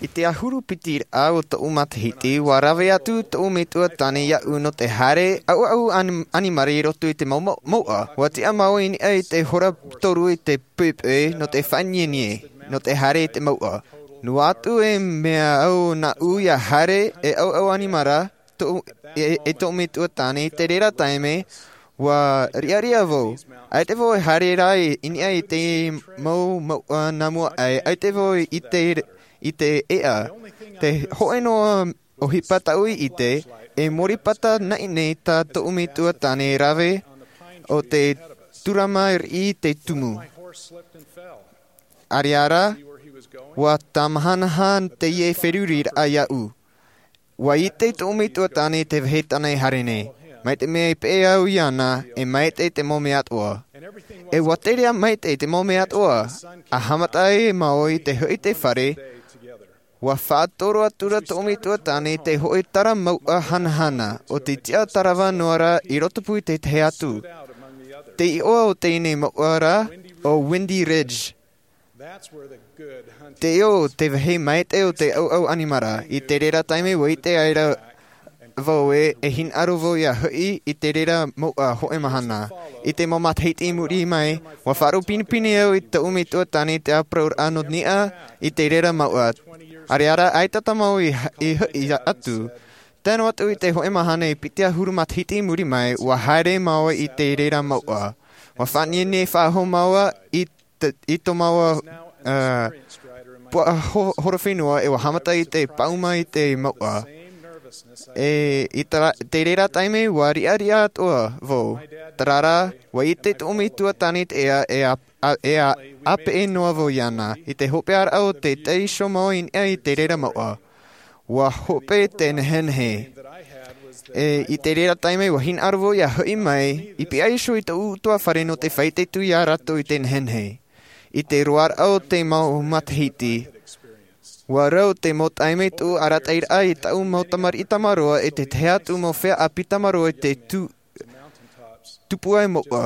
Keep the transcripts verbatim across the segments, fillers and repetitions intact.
I te ʻahuru piti raʻa o tōʻu matahiti, ua rave atu tōʻu metua tāne iāʻu nō te haere ʻauʻau ani-, ʻanimara i roto i te mau, mau, mouʻa. Ua tiʻa māua i niʻa i te hora toru i te poʻipoʻi nō te faʻanienieʻa, nō te haere i te mouʻa. Noa atu e mea au nāʻu ia haere e ʻauʻau ʻanimara, tō, e, e tōʻu metua tāne, i te reira taime, ua riʻariʻa vau. ʻAita vau e haere ra i, i niʻa i te mau mouʻa nā mua aʻe, ʻaita vau i te, i te ʻēʻa. Te hōʻē noa ʻohipa tāʻu i ʻite, e mōripata naʻinaʻi tā tōʻu metua tāne rave o te tūrama riʻi i te tumu. ʻAreʻa rā, ua tāmahana teie feruriraʻa iāʻu. Ua ʻite tōʻu metua tāne i te vāhi tāna i haere nei. Mai te mea i peʻe au iāna, e maitaʻi te mau mea atoʻa. E ua tere ā maitaʻi te mau mea atoʻa, ʻa haʻamata ai māua i te hoʻi i te fare, ua faʻatoro atu ra tōʻu metua tāne i te hoʻi tara mouʻa hanahana, ʻo te tiʻa tarava noa ra i rotopū i te tahi atu. Te iʻoa o teie mouʻa rā, ʻo Windy Ridge. Te ʻō, te vāhi maitaʻi o te ʻauʻau ʻanimara, i te reira taime ua ʻite ai ra vau ē, e hinaʻaro vau ia hoʻi i te reira mouʻa hōʻē mahana. I te mau matahiti i muri mai, ua faʻaroʻo pinepine au i tōʻu metua tāne i te ʻāparauraʻa nō niʻa i te reira mouʻa. ʻAreʻa rā, ʻaita tāmau i, i hoʻi atu. Tae noa atu i te hōʻē mahana e piti ʻahuru matahiti i muri mai, ua haere māua i te reira mouʻa. Ua faʻanienieʻa faʻahou māua i te, i tō māua, ā, puaʻa ho-, horowhenua e ua haʻamata i te paʻuma i te mouʻa. E, i te ra-, te reira taime ua riʻariʻa atoʻa vau. Terā rā, ua ʻite tōʻu metua tāne i te ʻēʻa e ʻā, ʻā, e ʻā, ʻāpeʻe noa vau iāna. I te hopeʻaraʻa o te taiʻo māua i niʻa i te reira mouʻa. Ua hope te nehenehe. E, i te reira taime ua hinaʻaro vau ia hoʻi mai, i pihaʻi iho i tōʻu ʻutuāfare nō te faʻaʻite atu ia rātou i te nehenehe. I te roaraʻa o te mau matahiti, ua rau te mau taime tōʻu arataʻiraʻa i tāʻu mau tamariʻi tamaroa e te tahi atu mau feiā ʻāpī tamaroa i te tū-, tupu ai mouʻa.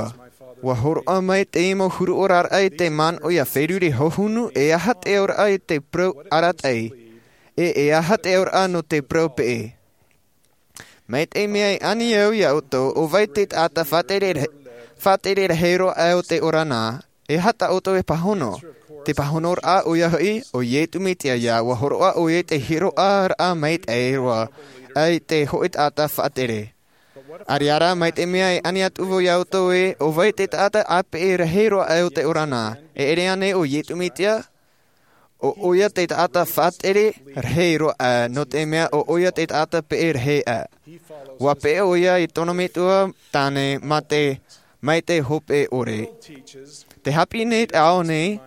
Ua hōroʻa mai te mau huru oraraʻa i te manaʻo ia feruri hohonu e aha te auraʻa i te parau arataʻi, e, e aha te auraʻa nō te parau peʻe. Mai te mea i ani au ia ʻoutou, ʻo vai te taʻata faʻatere ra-, faʻatere rahi roa aʻe o te ora na, e aha tā ʻoutou e pāhono? Te pāhonoraʻa ʻoia hoʻi, ʻo Iesu Mesia ïa, ua hōroʻa ʻoia i te hiʻoraʻa maitaʻi roa, ʻa te hōʻē taʻata faʻatere. ʻAreʻa rā, mai te mea i ani atu vau ia ʻoutou ē, ʻo vai te taʻata ʻāpeʻe rahi roa aʻe o te ora na, e ʻere ānei ʻo Iesu Mesia? ʻO ʻoia te taʻata faʻatere rahi roa aʻe, nō te mea ʻo ʻoia te taʻata peʻe rahi aʻe. Ua peʻe ʻoia i tōna metua tāne mā te, mai te hope ʻore. Tē haʻapiʻi nei te ao nei,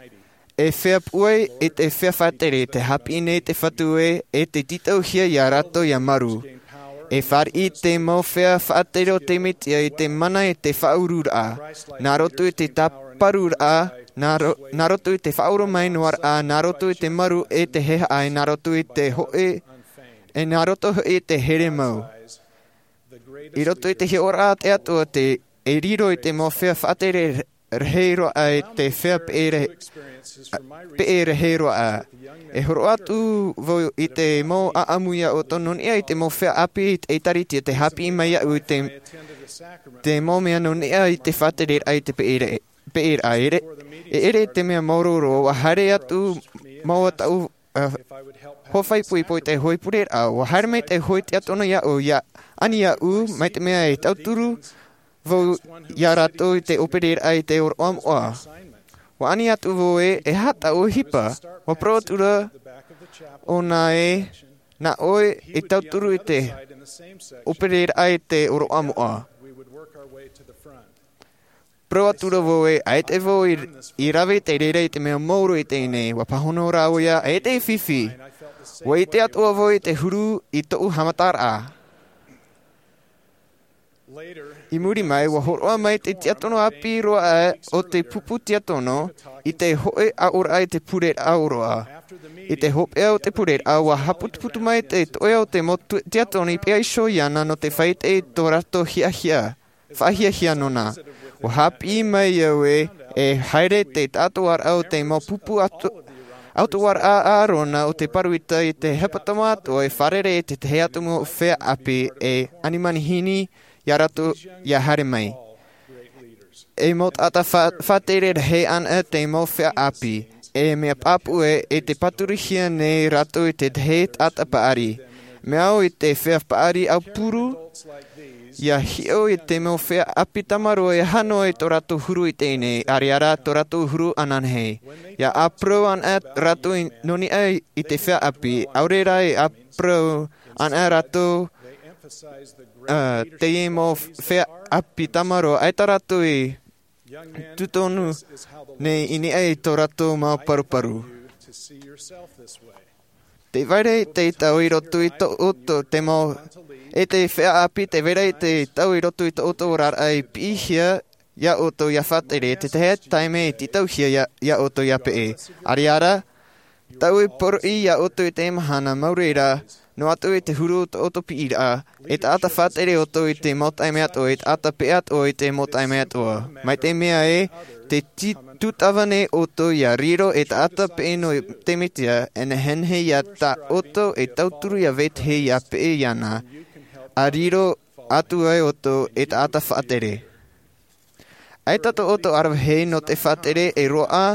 e feiā pūai e te feiā faʻatere, tē haʻapiʻi nei te Fatu ē, e tē tītauhia ia rātou ia maru. E fāriʻi te mau feiā faʻatere o te Mesia i te mana i te faʻaururaʻa, nā roto i te tāparuraʻa, nā ro-, nā roto i te faʻaoromaʻi noa raʻa, nā roto i te maru e te haʻapaʻo, nā roto i te hōʻē, e nā roto hoʻi i te here mau. I roto i te hiʻoraʻa a te Atua te, e riro i te mau feiā faʻatere rahi roa aʻe i te feiā peʻe rahi, peʻe rahi roa aʻe. E hōroʻa atu vau i te mau ʻāʻamu ia ʻoutou nō niʻa i te mau feiā ʻāpī i te ʻĒtārētia tē haʻapiʻi mai iāʻu i te, te mau mea nō niʻa i te faʻatereraʻa i te peʻe ra-, peʻeraʻa. E ʻere, e ʻere i te mea māuruuru, ua haere atu māua tāʻu, ā, hoa faʻaipoipo i te hōʻē pureraʻa, ua haere mai te hōʻē tiʻatona iāʻu, ʻia ani iāʻu, mai te mea e tauturu vau ia rātou i te ʻōpereraʻa i te ʻōroʻa moʻa. Ua ani atu vau ē, e aha tāʻu ʻohipa, ua parau atu ra ʻōna ē, nā ʻoe e tauturu i te ʻōpereraʻa i te ʻōroʻa moʻa. Parau atu ra vau ē, ʻaita vau i, i rave i te reira i te mea māuruuru i teie nei, ua pāhono rā ʻoia, ʻaita e fifi. Ua ʻite atoʻa vau i te huru i tōʻu haʻamataraʻa. I muri mai, ua hōroʻa mai te tiʻatona ʻāpī roa aʻe o te pupu tiʻatona i te hōʻē aʻoraʻa i te pureraʻa ʻōroʻa. I te hopeʻa o te pureraʻa, ua haʻaputuputu mai te toʻe o te mau tu-, tiʻatona i pihaʻi iho iāna nō te faʻaʻite i tō rātou hiahia, faʻahiahia nōna. Ua haʻapiʻi mai au ē, e haere te taʻatoʻaraʻa o te mau pupu atu-, ʻautuaraʻa a ʻArona ʻo te Paruita i te hepetoma atoʻa e fārerei i te tahi atu mau feiā ʻāpī e ani manihini iā rātou ia haere mai. E mau taʻata fa-, faʻatere rahi anaʻe te mau feiā ʻāpī, e mea pāpū ē, e te pāturuhia nei rātou i te tahi taʻata paʻari. Mea au i te feiā paʻari aupuru, ia hiʻo i te mau feiā ʻāpī tamaroa e hano i tō rātou huru i teie nei, ʻaore rā tō rātou huru ananahi. Ia ʻāparau anaʻe rātou i, nō niʻa i te feiā ʻāpī, ʻaore rā e ʻāparau anaʻe rātou, ā, teie mau feiā ʻāpī tamaroa, ʻaita rātou i tūtonu nei i niʻa i tō rātou mau paruparu. Tē vai ra te tau i roto i tō ʻoutou, te mau, e te feiā ʻāpī, tē vai ra te tau i roto i tō ʻoutou oraraʻa i piʻihia iā ʻoutou ia faʻatere, te tahi taime e tītauhia iā, iā ʻoutou ia peʻe. ʻAore rā, tau e poroʻi iā ʻoutou i te mahana, mau reira, noa atu i te huru o tō ʻoutou piʻiraʻa, e taʻata faʻatere ʻoutou i te mau taime atoʻa, e taʻata peʻe atoʻa i te mau taime atoʻa. Mai te mea ē, tē tī-, tūtava nei ʻoutou ia riro e taʻata peʻe nō te Mesia, e nehenehe iā tā ʻoutou e tauturu ia vetahi ia peʻe iāna, ʻa riro atu ai ʻoutou e taʻata faʻatere. ʻAita tō ʻoutou ʻaravihi nō te faʻatere e roaʻa,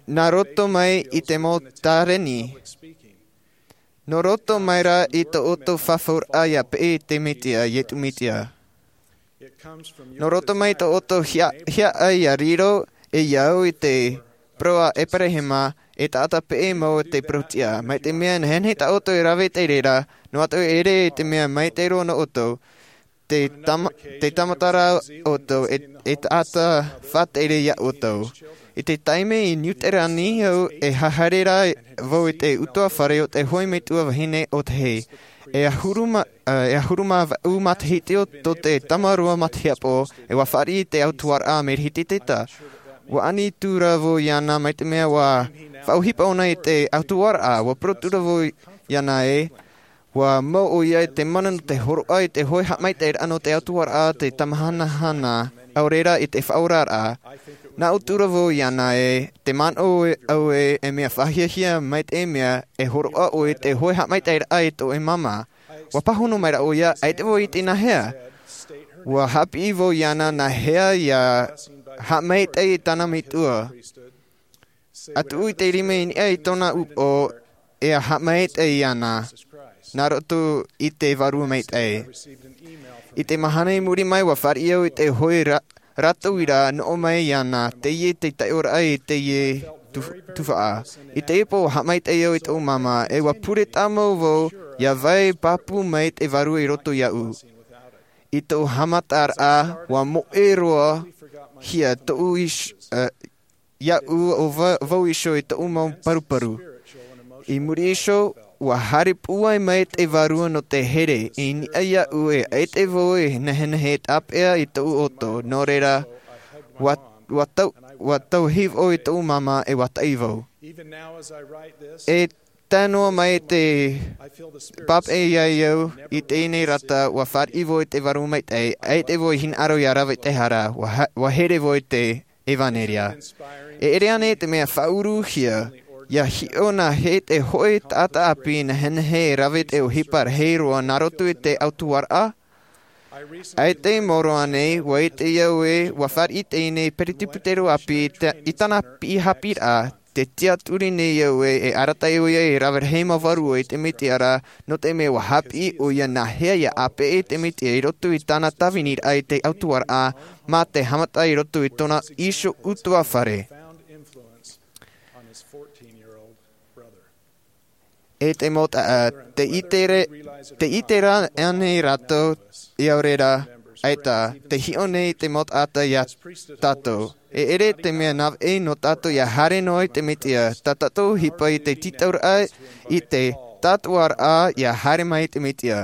nā roto mai i te mau tāreni. Nō roto mai rā i tō ʻoutou fafauraʻa ia peʻe i te Mesia, Iesu Mesia. Nō roto mai tō ʻoutou hia-, hiaʻai ia riro, e ia au i te parau a ʻEperahema, e taʻata peʻe mau te parau tiʻa. Mai te mea nehenehe tā ʻoutou e rave i te reira, noa atu e ʻere i te mea maitaʻi roa nō ʻoutou, te tama-, te tāmata rā ʻoutou, e, e taʻata faʻatere iā ʻoutou. I te taime i Niu Sīlani au e haere ra vau i te ʻutuāfare o te hōʻē metua vahine ʻōtahi. E ʻahuru mā, ā, e ʻahuru mā vaʻu matahiti o tō te tamaroa matahiapo, e ʻua fāriʻi i te ʻautuaraʻa Merihititeta. ʻUa ani atu ra vau iāna mai te mea ʻua faʻaʻohipa ʻōna i te ʻautuaraʻa, ʻua parau atu ra vau iāna ē, ʻua mau ʻoia i te mana nō te hōroʻa i te hōʻē haʻamaitaʻiraʻa nō te ʻautuaraʻa, te tamahanahana, ʻaore rā i te faʻaoraraʻa. Nā ʻō atu ra vau iāna ē, tē manaʻo au ē, e mea faʻahiahia mai te mea, e hōroʻa ʻoe i te hōʻē haʻamaitaʻiraʻa i tō ʻoe māmā. ʻUa pāhono mai ra ʻoia, ʻaita vau i ʻite nāhea. ʻUa haʻapiʻi vau iāna nāhea ia haʻamaitaʻi i tāna metua. ʻA tuʻu i te rima i niʻa i tōna upoʻo, e ʻa haʻamaitaʻi iāna, nā roto i te Vārua Maitaʻi. I te mahana i muri mai, ʻua fāriʻi au i te hōʻē ra-, rātauiraʻa nō ʻō mai iāna, teie te taiʻoraʻa i teie tu-, tuhaʻa. I teie pō, ʻua haʻamaitaʻi au i tōʻu māmā, e ʻua pure tāmau vau, ʻia vai pāpū mai te Vārua i roto iāʻu. I tōʻu haʻamataraʻa, ʻua moʻe roa hia tōʻu iš-, ā, iāʻu ʻo va-, vau iho i tōʻu mau paruparu. I muri iho, ʻua haere pūai mai te Vārua nō te here, i niʻa iāʻu e ʻaita vau e nehenehe e tāpeʻa i tōʻu ʻoto, nō reira, ʻua, ʻua tau-, ʻua tauhi vau i tōʻu māmā e ʻua taʻi vau. E tae noa mai te pāpaʻi iā ʻu i teie nei rata, ʻua fāriʻi vau i te Vārua Maitaʻi, ʻaita vau i hinaʻaro ʻia rave i te hara, ʻua ha-, ʻua here vau i te ʻevanelia. E ʻere ānei te mea faʻauruhia, ʻia hiʻo nāhea te hōʻē taʻata ʻāpī nehenehe e rave i te ʻohipa rahi roa nā roto i te ʻautuaraʻa? ʻAita i maoro ānei, ʻua ʻite au ē, ʻua fāriʻi teie nei peresibutero ʻāpī i te, i tāna piʻi haʻapiʻiraʻa, tē tiʻaturi nei au ē, e arataʻi ʻoia e rave rahi mau vārua i te Mesia ra, nō te mea ʻua haʻapiʻi ʻoia nāhea ʻia ʻāpeʻe i te Mesia i roto i tāna tāviniraʻa i te ʻautuaraʻa, mā te haʻamata i roto i tōna iho ʻutuāfare. E te mau taʻata, tē ʻite ra-, tē ʻite ra ānei rātou, ʻaore rā, ʻaita, tē hiʻo nei te mau taʻata iā tātou. E ʻere te mea navaʻi nō tātou ʻia haere noa i te Mesia, tā tātou ʻohipa i te tītauraʻa i te tātuaraʻa ʻia haere mai i te Mesia.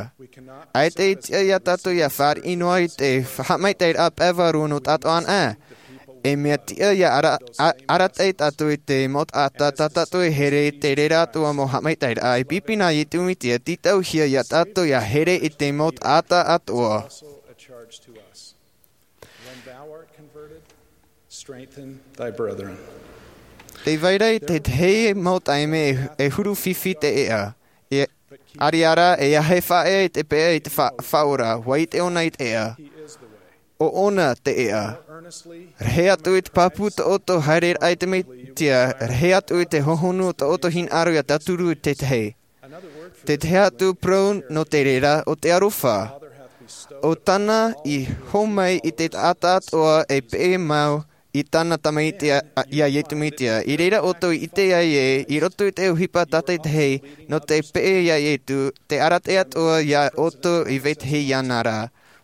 ʻAita e tiʻa iā tātou ʻia fāriʻi noa i te haʻamaitaʻiraʻa pae vārua nō tātou anaʻe. E mea tiʻa ʻia ara-, a-, arataʻi tātou i te mau taʻata tā tātou e here i te reira atoʻa mau haʻamaitaʻiraʻa, e pipi nā Iesu Mesia, tītauhia iā tātou ʻia here i te mau taʻata atoʻa. When thou art converted, strengthen thy brethren. Te vai ra i te hei mau taime e huru fifi te ʻeʻa. E ariara e ahe faʻaea i te peʻa i te faʻaora vai te ʻona i te ʻeʻa. O ʻona te ʻeʻa. Rahi atu i te pāpū tō ʻoto haere raʻa i te meitia rahi atu i te hohonu o tō ʻoto hinaʻaro ia tauturu i te hei. Te tahi atu parau nō te reira o te aroha. O tāna i hōmai i te taʻata atoa e peʻe mau i tāna tamaiti ia iesu mesia i reira ʻoto i ʻite ai ē i roto i te ʻohipa tātaitahi nō te peʻe ia iesu te arataʻi atoa ia ʻoto i vetahi ia nā rā.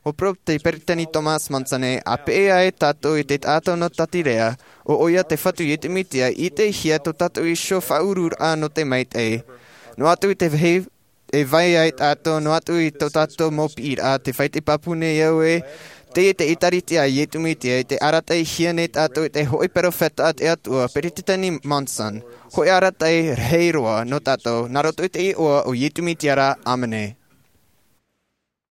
O parau te peresideni thomas monson a peʻe ai tātou i te taʻata nō tatirea o ʻoia te fatu iesu mesia i ʻitehia tō tātou iho faʻaururaʻa nō te maitaʻi. Noa atu i te vāhi e vai ai tātou noa atu i tō tātou mau piʻiraʻa te fai te pāpū nei au ē te i te ʻēkālesia a iesu mesia i te arataʻihia nei tātou i te hoʻi peropheta a te atua peresideni monson. Hoʻi arataʻi rahi roa nō tātou nā roto i te iʻoa o iesu mesia rā. ʻĀmene.